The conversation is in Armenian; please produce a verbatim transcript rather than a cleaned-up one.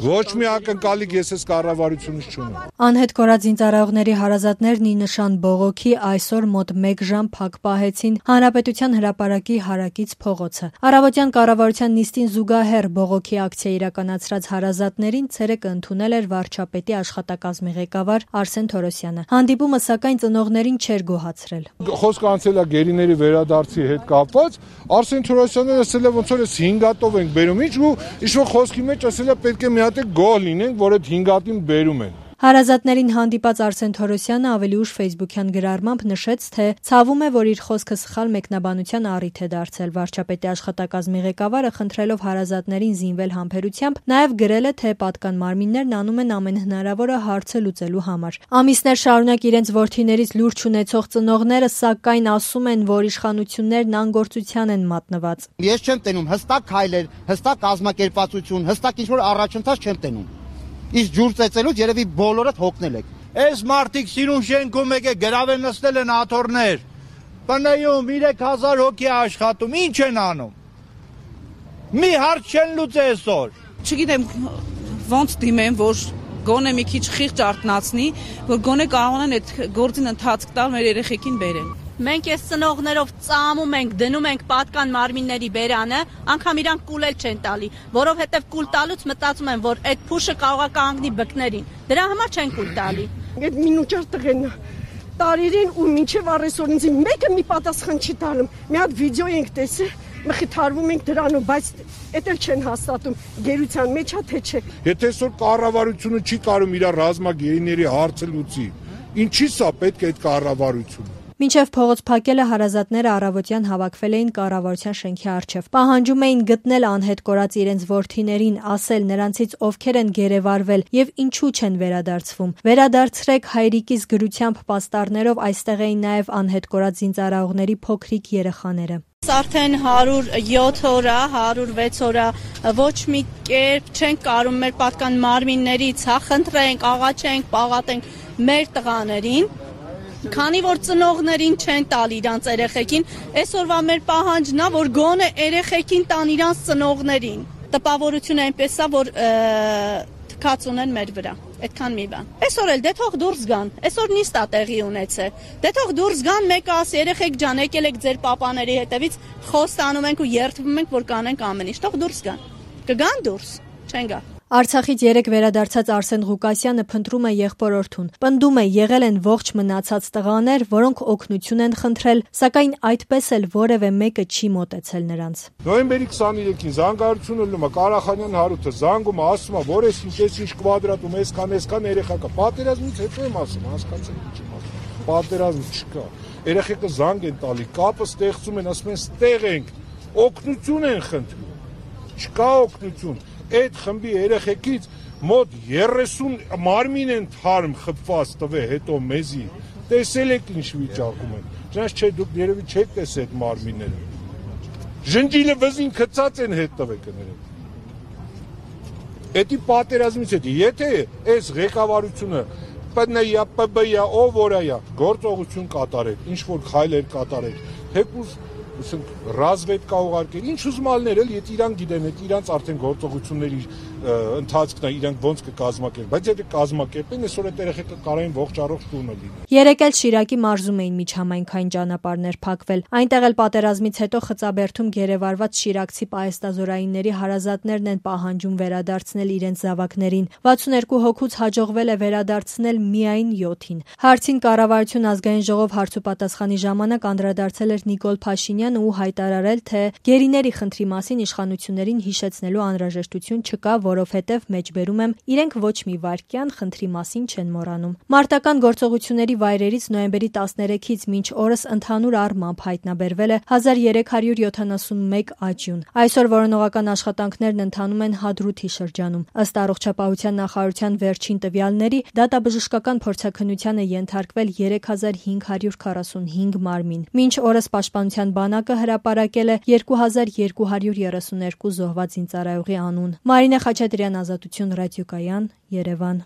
Ոչ մի ակնկալիք ես այս կառավարությունից չունեմ։ Անհետ կորած զինծառայողների հարազատներն ի նշան բողոքի այսօր մոտ մեկ ժամ փակ պահեցին Հանրապետության հրապարակի հարակից փողոցը։ Առավոտյան կառավարության նիստին զուգահեռ բողոքի ակցիա իրականացրած հարազատներին ցերեկը ընդունել էր վարչապետի աշխատակազմի ղեկավար Արսեն Թորոսյանը։ Հանդիպումը սակայն ծնողներին չէր գոհացրել։ Խոսքը անցել է գերիների վերադարձի հետ կապված, Արսեն Թորոսյանը ասել է ոնց որ այս հինգ հատով ենք բերում, ինչ ու ինչ-որ խոսքի մեջ ասել է պետք է մի հատ գոհ լինենք, որ այդ հինգ հատին բերում են։ Հարազատներին հանդիպած Արսեն Թորոսյանը ավելի ուշ ֆեյսբուքյան գրառմամբ նշեց, թե ցավում է, որ իր խոսքը սխալ մեկնաբանության առիթ է դարձել։ Վարչապետի աշխատակազմի ղեկավարը խնդրելով հարազատներին զինվել համբերությամբ, նաև գրել է, թե պատկան մարմիններն անում են ամեն հնարավորը հարցը լուծելու համար։ Ամիսներ շարունակ իրենց որդիներից լուրջ չունեցող ծնողները սակայն ասում են, որ իշխանություններն անգործության են մատնված։ Ես չեմ տենում հստակ քայլեր, հստակ կազմակերպվածություն, հստակ ինչ-որ առաջընթաց չեմ տենում։ Իսկ ջուր ծեծելուց երևի բոլորդ հոգնել եք։ Այս մարդիկ սիրուն շենքում եկե գրավել նստել են աթոռներ։ Բնայում երեք հազար հոգի աշխատում, ինչ են անում։ Մի հարց չեն լուծի այսօր։ Չգիտեմ ոնց դիմեմ, որ գոնե մի քիչ խիղճ արթնացնի, որ գոնե կարողանան այդ գործին ընթացք տալ մեր երեխեքին բերեն։ Մենք այս ծնողներով ծամում ենք, դնում ենք պատկան մարմինների բերանը, անգամ իրանք կուլել չեն տալի, որովհետև կուլ տալուց մտածում են, որ այդ փուշը կարող է կանգնի բկներին։ Դրա համար չեն կուլ տալի։ Այդ մինուճար տղեն տարերին ու մինչև առեսօր ինձ մեկը մի պատասխան չի տալում։ Մի հատ վիդեո ենք տեսել, մխիթարվում ենք դրանով, բայց էդ էլ չեն հաստատում գերության մեջ է թե չէ։ Եթե այսօր կառավարությունը չի կարող իր ռազմագերիների հարցը լուծի, ինչի՞ սա պետք է այդ կառավարությունը։ Մինչև փողոց փակելը հարազատները առավոտյան հավաքվել էին կառավարության շենքի առջև։ Պահանջում էին գտնել անհետ կորած իրենց որդիներին, ասել նրանցից ովքեր են գերեվարվել եւ ինչու չեն վերադարձվում։ Վերադարձրեք հայրիկիս գրությամբ պաստառներով այստեղ էին նաեւ անհետ կորած զինծառայողների փոքրիկ երեխաները։ Արդեն հարյուր յոթ օր է, հարյուր վեց օր է, ոչ մի կերպ չենք կարող մեր պատկան մարմիններից հա խնդրենք, աղաչենք, պաղատենք մեր տղաներին։ Քանի որ ծնողներին չեն տալ իրանց երեխեքին, այսօրվա մեր պահանջն է, որ գոնե երեխեքին տան իրանց ծնողներին։ Տպավորությունը այնպես է, որ թքած ունեն մեր վրա։ Այդքան մի բան։ Այսօր էլ դե թող դուրս գան։ Այսօր նիստ է տեղի ունեցել։ Դե թող դուրս գան, մեկը ասի երեխեք ջան, եկել եք ձեր պապաների հետևից, խոստանում ենք ու երդվում ենք, որ կանենք ամեն ինչ։ Թող դուրս գան։ Կգան դուրս, չեն գա։ Արցախից երեք վերադարձած Արսեն Ղուկասյանը փնտրում է եղբորորդուն։ Պնդում է, եղել են ողջ մնացած տղաներ, որոնք օգնություն են խնդրել, սակայն այդպես էլ որևէ մեկը չի մոտեցել նրանց։ Նոյեմբերի քսաներեքին զանգարությունը լում է Ղարախանյան Հարութը, զանգում է, ասում է, որ էս ինչ էս ինչ կվադրատում, այսքան այսքան երեխա կա։ Պատերազմից հետո եմ ասում, հասկացել եք չեմ ասում։ Պատերազմ չկա։ Երեխեքը զանգ են տալի, կապը ստեղծում են, ասում են ստեղ ենք, օգնություն են խնդրում։ Չկա օգնություն։ Այդ խմբի երեխեքից մոտ երեսուն մարմին են թարմ խփված տվել հետո մեզի։ Տեսել եք ինչ վիճակում են։ Ճանաչ չէ դուք երևի չեք տեսել այդ մարմինները։ Ժնջիլը վզին քծած են հետ տվել կներեք։ Էդի պատերազմից հետո եթե այս ղեկավարությունը ՊՆ-յա, ՊԲ-յա, ով որայա գործողություն կատարեք, ինչ որ քայլեր կատարեք, թեկուզ ասենք ռազմետկա ուղարկել, ինչ ուզմալներ էլ, եթե իրան գիտեն, եթե իրանց արդեն գործողությունների ընթացքն է, իրանք ոնց կկազմակերպեն, բայց եթե կազմակերպեն, այսօր այդ երեխեքը կարային ողջ առողջ տունը լինեն։ Երեք էլ Շիրակի մարզում էին միջհամայնքային ճանապարհներ փակվել։ Այնտեղ էլ պատերազմից հետո Խծաբերդում գերեվարված շիրակցի պահեստազորայինների հարազատներն են պահանջում վերադարձնել իրենց զավակներին։ վաթսուներկու հոգուց հաջողվել է վերադարձնել միայն յոթին։ Հարցին կառավարություն ազգային ժողով հարցուպատասխանի ժամանակ անդրադարձել էր Նիկոլ Փաշինյանը ու հայտարարել, թե գերիների խնդրի մասին իշխանություններին հիշեցնելու անհրաժեշտություն չկա, որովհետև մեջբերում եմ իրենք ոչ մի վայրկյան խնդրի մասին չեն մոռանում։ Մարտական գործողությունների վայրերից նոյեմբերի տասներեքից մինչ օրս ընդհանուր առմամբ հայտնաբերվել է հազար երեք հարյուր յոթանասունմեկ աճյուն։ Այսօր որոնողական աշխատանքներն ընթանում են Հադրութի շրջանում։ Ըստ առողջապահության նախարարության վերջին տվյալների, դատաբժշկական փորձաքննության է ենթարկվել երեք հազար հինգ հարյուր քառասունհինգ մարմին։ Մինչ օրս պաշտպանության բանակը հրապարակել է երկու հազար երկու հարյուր երեսուներկու զոհված զինծառայողի անուն։ Մարինե Խաչատրյան, Ազատություն ռադիոկայան, Երևան։